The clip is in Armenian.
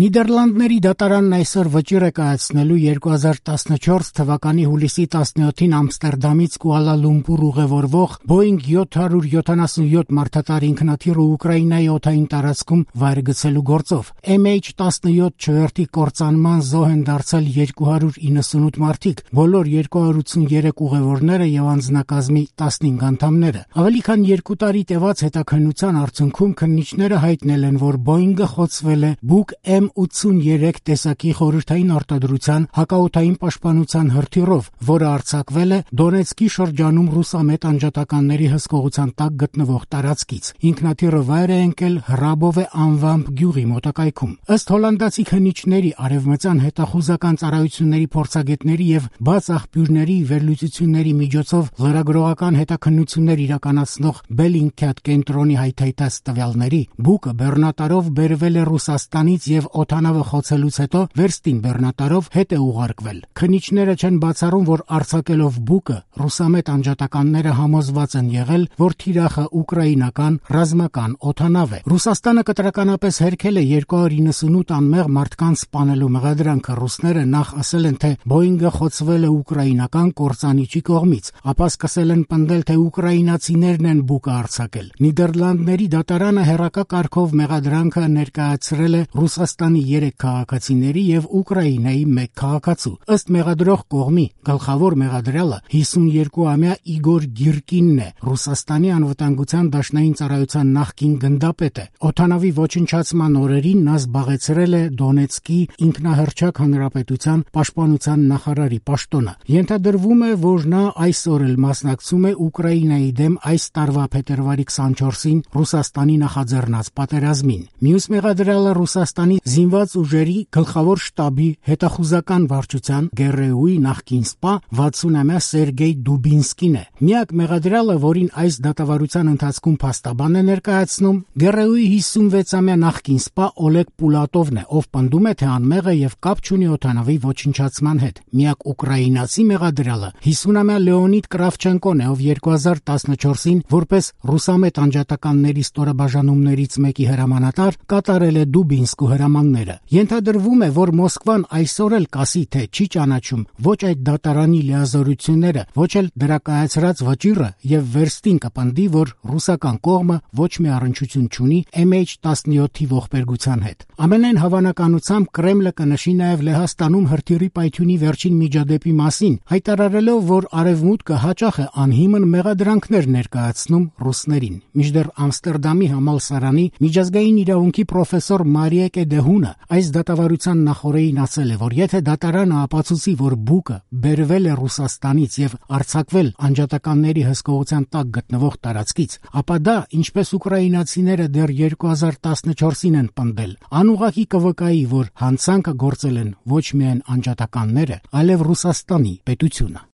Նիդերլանդների դատարանն այսօր վճիռ է կայացնելու 2014 թվականի հուլիսի 17-ին Ամստերդամից Կուալա Լումպուր ուղևորվող Boeing 777 մարդատար ինքնաթիռը Ուկրաինայի օդային տարածքում վայր գցելու գործով։ MH17 չվերթի կործանման զոհ են դարձել 298 մարդիկ, բոլոր 283 ուղևորները եւ անձնակազմի 15 անդամները։ Ավելի քան 2 տարի տևած հետաքննության արդյունքում քննիչները հայտնել են, որ Boeing-ը խոցվել է Buk M83 տեսակի խորհրդային արտադրության հակաօդային պաշտպանության հրթիռով, որը արձակվել է Դոնեցկի շրջանում ռուսամետ անջատականների հսկողության տակ գտնվող տարածքից։ Ինքնաթիռը վայր է ընկել Հրաբովե անվամբ գյուղի մոտակայքում։ Ըստ հոլանդացի քննիչների, արևմտյան հետախուզական ծառայությունների փորձագետների եւ բաց աղբյուրների վերլուծությունների միջոցով լրագրողական հետաքննություններ իրականացնող Bellingcat կենտրոնի հայթայթած տվյալների, Buk-ը բեռնատարով բերվել է Ռուսաստանից եւ օդանավը խոցելուց հետո վերստին բեռնատարով հետ է ուղարկվել։ Քննիչները չեն բացառում, որ արձակելով Buk-ը ռուսամետ անջատականները համոզված են եղել, որ թիրախը ուկրաինական ռազմական օդանավ է։ Ռուսաստանը կտրականապես հերքել է 298 անմեղ մարդկանց սպանելու մեղադրանքը։ Ռուսները նախ ասել են, թե Boeing-ը խոցվել է ուկրաինական կործանիչի կողմից, ապա սկսել են պնդել, թե ուկրաինացիներն են Buk-ը արձակել։ Նիդերլանդների դատարանը հերակա կարգով մեղադրանքը ներկայացրել է Ռուսաստանի 3 քաղաքացիների եւ Ուկրաինայի 1 քաղաքացու։ Ըստ մեղադրող կողմի գլխավոր մեղադրյալը 52-ամյա Իգոր Գիրկինն է, Ռուսաստանի անվտանգության դաշնային ծառայության նախկին գնդապետ է։ Օդանավի ոչնչացման օրերին նա զբաղեցրել է Դոնեցկի ինքնահռչակ հանրապետության պաշտպանության նախարարի պաշտոնը։ Ենթադրվում է, որ նա այսօր էլ մասնակցում է Ուկրաինայի դեմ այս տարվա փետրվարի 24-ին Ռուսաստանի նախաձեռնած պատերազմին։ Մյուս մեղադրյալը Ռուսաստանի զինված ուժերի գլխավոր շտաբի հետախուզական վարչության ԳՌՈ-ի նախկին սպա 60-ամյա Սերգեյ Դուբինսկին է։ Միակ մեղադրյալը, որին այս դատավարության ընթացքում փաստաբան է ներկայացնում, ԳՌՕ-ի 56-ամյա նախկին սպա Օլեգ Պուլատովն է, ով պնդում է, թե անմեղ է եւ կապ չունի օդանավի ոչնչացման հետ։ Միակ ուկրաինացի մեղադրյալը 50-ամյա Լեոնիդ Կրավչենկոն է, ով 2014-ին որպես ռուսամետ անջատականների ստորաբաժանումներից մեկի հրամանատար կատարել է Դուբինսկու հրամանները։ Ենթադրվում է, որ Մոսկվան այսօր էլ կասի, թե չի ճանաչում ոչ այդ դատարանի լիազորությունները, ոչ էլ դրա կայացրած վճիռը եւ վերստին կպնդի, որ ռուսական կողմը ոչ մի առնչություն չունի MH17-ի ողբերգության հետ։ Ամենայն հավանականությամբ Կրեմլը կնշի նաեւ Լեհաստանում հրթիռի պայթյունի վերջին միջադեպի մասին, հայտարարելով, որ Արևմուտքը հաճախ է անհիմն մեղադրանքներ ներկայացնում ռուսներին։ Մինչդեռ Ամստերդամի համալսարանի միջազգային իրավունքի պրոֆեսոր Մարիեկե Դեհունը այս դատավարության նախօրեին ասել է, որ եթե դատարանը ապացուցի, որ Buk-ը բերվել է Ռուսաստանից եւ արձակվել անջատականների հսկողության տակ գտնվող տարածքից, ապա դա, ինչպես ուկրաինացիները դեռ 2014-ին են պնդել, անուղղակի կվկայի, որ հանցանքը գործել են ոչ միայն անջատականները, այլև Ռուսաստանի պետությունը։